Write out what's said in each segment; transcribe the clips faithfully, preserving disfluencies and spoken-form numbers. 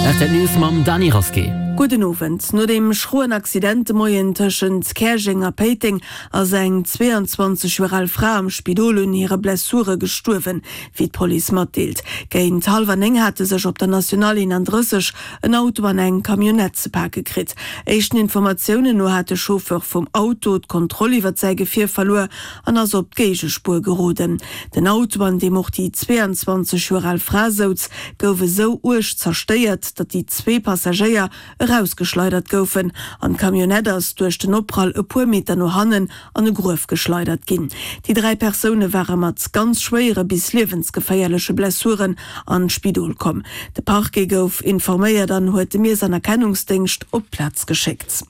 R T L News mam Dany Rasqué. Gudden Owend. No dem schroen Accident de Moien tëschent Käerjeng a Péiteng ass eng zweeanzwanzeg Joer al Fra am Spidol un hire Blessure gestuerwen, wéi d'Police matdeelt. Géint hallwer néng hate sech op der Nationale eenandrësseg en Auto an eng Camionnette ze pake kritt. Éischten Informatiounen no hat de Chauffeur vum Auto d'Kontroll iwwert säi Gefier verluer an ass op d'Géigespuer geroden. Den Auto, an deem och déi zweeanzwanzeg Joer al Fra souz, gouf esou uerg zerstéiert, datt déi zwee Passagéier erausgeschleidert goufen an d'Camionnette ass duerch den Opprall e puer Meter no hannen an e Gruef geschleidert ginn. Déi dräi Persoune ware mat ganz schwéiere bis liewensgeféierleche Blessuren an d'Spidol komm. De Parquet gouf informéiert an huet de Miess an Erkennungsdéngscht op d'Plaz geschéckt.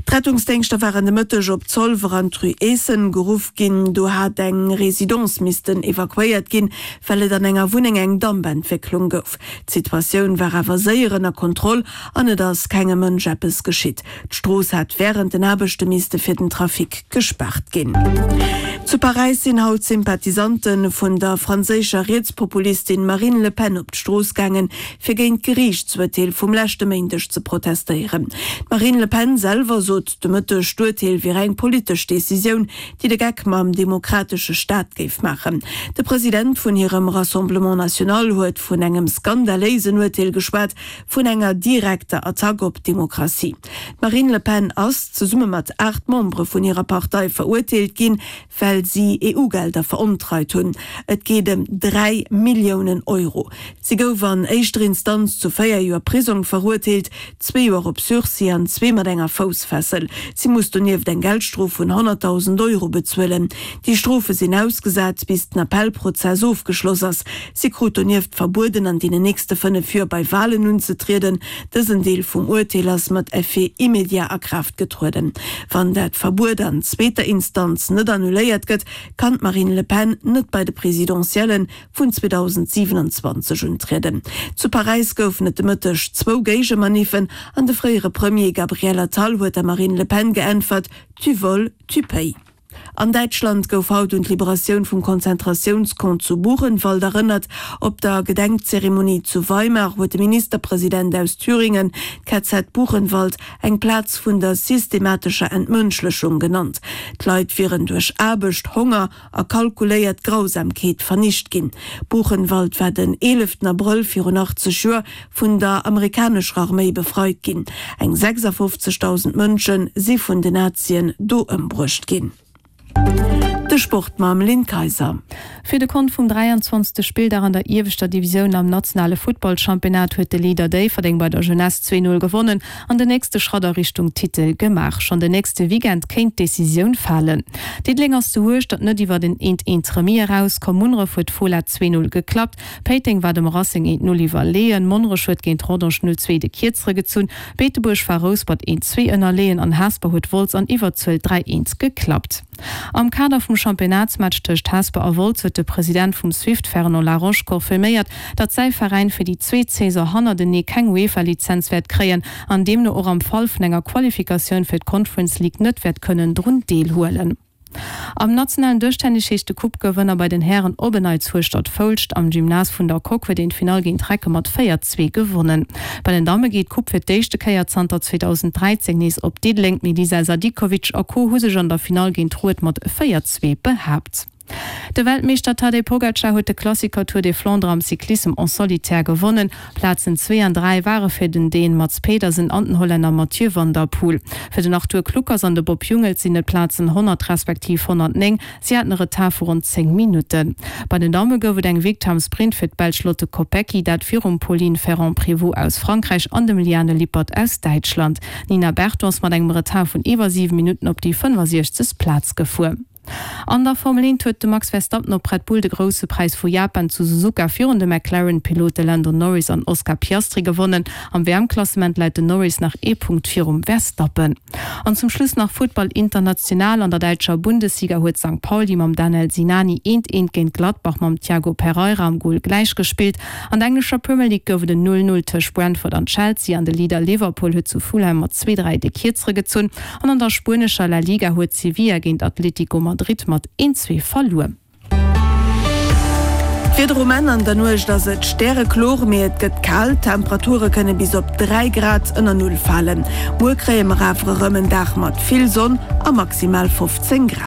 D'Rettungsdéngschter waren de Mëtteg op Zolwer an d'Rue Eessen geruff ginn. Do hat eng Residence missten evakuéiert ginn, well et an enger Wunneng eng Dampentwécklung gouf. D'Situatioun war awer séier ënner Kontroll an et ass kengem Mënsch eppes geschitt. D'Strooss hat wärend den Aarbechte misste fir den Trafic gespaart ginn. Zu Paräis sinn haut Sympathisante vun der franséischer Rietspopulistin Marine Le Pen op d'Strooss gaangen, fir géint d'Geriichtsurteel vum leschte Méindeg ze protestéieren. D'Marine Le Pen selwer sot de Mëtteg, d'Urteel wier eng politesch Decisioun, déi de Geck mam demokratesche Staat géif maachen. De President vun hirem Rassemblement National huet vun engem skandaléisen Urteel geschwat, vun enger direkter Attack op d'Demokratie. D'Marine Le Pen ass zesumme mat aacht Membere vun hirer Partei verurteelt ginn, well si E U-Gelder verontreit hunn. Et geet ëm dräi Milliounen Euro. Si gouf an éischter Instanz zu véier Joer Prisong verurteelt, zwee Joer op Sursis an zwee mat enger Foussfessel. Si muss donieft eng Geldstrof vun honnertdausend Euro bezuelen. Déi Strofe sinn ausgesat, bis den Appellprozess ofgeschloss ass. Si krut donieft verbueden, an deenen nächste fënnef Joer bei Walen unzetrieden. Dësen Deel vum Urteel ass mat Effet immédiat a Kraaft getrueden. Wann dat Verbuet an zweeter Instanz net annuléiert gëtt, kann d'Marine Le Pen net bei de Presidentielle vun zweedausendsiewenundzwanzeg untrieden. Zu Paräis goufen et de Mëtteg zwou Géigemaniffen an de fréiere Premier Gabriel Attal huet der Marine Le Pen geäntwert, Tu voles, tu payes. An Däitschland gouf haut un d'Liberatioun vum Konzentratiounscamp zu Buchenwald erënnert. Op der Gedenkzeremonie zu Weimar huet de Ministerpresident aus Thüringen d'K Z Buchenwald eng Plaz vun der systematescher Entmënschlechung genannt. D'Leit wieren duerch Aarbecht, Honger a kalkuléiert Grausamkeet vernicht ginn. Buchenwald war den eeleften Abrëll virun achtzeg Joer vun der amerikanescher Arméi befreit ginn. Eng sechsafofzegdausend Mënsche si vun den Nazien do ëmbruecht ginn. De Sport mam Lynn Kayser. Fir de Kont vum dräianzwanzegste Spilldag an der ieweschter Divisioun am nationale Futtballchampionnat huet de Leader Déifferdeng bei der Jeunesse zwee Null gewonnen an den nächste Schratt a Richtung Titel gemaach. Schonn den nächste Weekend kéint d'Decisioun falen. Diddeleng ass zu Hueschtert net iwwer en eent eent Remis erauskomm. Munneref huet d'Fola zwee Null geklappt, Péiteng war dem Racing eent Null iwwerleeën, Monnerech huet géint Rodange null zwee de Kierzere gezunn, Beetebuerg war Rouspert eent zwee ënnerleeën an Hesper huet Wolz an Iwwerzuel dräi eent geklappt. Am Kader vum Championnatsmatch tëscht Hesper a Wolz huet de President vum Swift Fernand Laroche confirméiert, datt säi Veräin fir déi zweet Saison hannertenee keng UEFA-Lizenz wäert kréien an deemno och am Fall vun enger Qualifikatioun fir d'Conference League net wäert kënnen drun deelhuelen. Am nationalen Dëschtennis heescht de Coupe-Gewënner bei den Hären op en Neits Hueschtert-Foulscht. Am Gymnase vun der Coque huet een d'Finall géint Recke mat véier, zwee gewonnen. Bei den Damme geet d'Coupe fir d'éischte Kéier zanter zweedausenddräizéng nees op Diddeleng. D'Melisa Sadikovic a Co. Hu sech an der Finall géint Rued mat véier, zwee behaapt. De Weltmeeschter Tadej Pogacar huet de Klassiker Tour des Flandres am Cyclissem en solitaire gewonnen. Plazen zwee an dräi ware fir den Dän Mads Pedersen an den Hollänner Mathieu van der Poel. Fir den Arthur Kluckers an de Bob Jungels sinn et Plazen honnert respektiv honnertnéng. Si haten e Retard vu ronn zéng Minutten. Bei den Damme gouf et eng Victoire am Sprint fir d'Belsch Lotte Kopecky, dat virum Pauline Ferrand-Prévot aus Frankräich an dem Liane Lippert aus Däitschland. D'Nina Berton ass mat engem Retard vun iwwer siwe Minutten op déi fënnefasiechzeg Plaz gefuer. An der Formel eent huet de Max Verstappen op Red Bull de Grousse Präis vu Japan zu Suzuka virun de McLaren-Pilote Lando Norris an Oscar Piastri gewonnen. Am W M-Klassement läit den Norris nach ee Punkt virum Verstappen. An zum Schluss nach Futtball international, An der däitscher Bundesliga huet Sankt Pauli mam Danel Sinani eent eent géint Gladbach mam Thiago Pereira am Gol gläichgespillt. An der englescher Premier League gouf et en null null tëscht Brentford an Chelsea an de Leader Liverpool huet zu Fulham mat zwee dräi de Kierzere gezunn. An an der spuenescher La Liga huet Sevilla géint Atlético Madrid mat een zwee verluer. D'Wieder um Enn, An der Nuecht ass et stärekloer, mee et gëtt kal, d'Temperature kënne bis op dräi Grad ënner Null falen. Muer kréie mer awer erëm en Dag mat vill Sonn a maximal fofzéng Grad.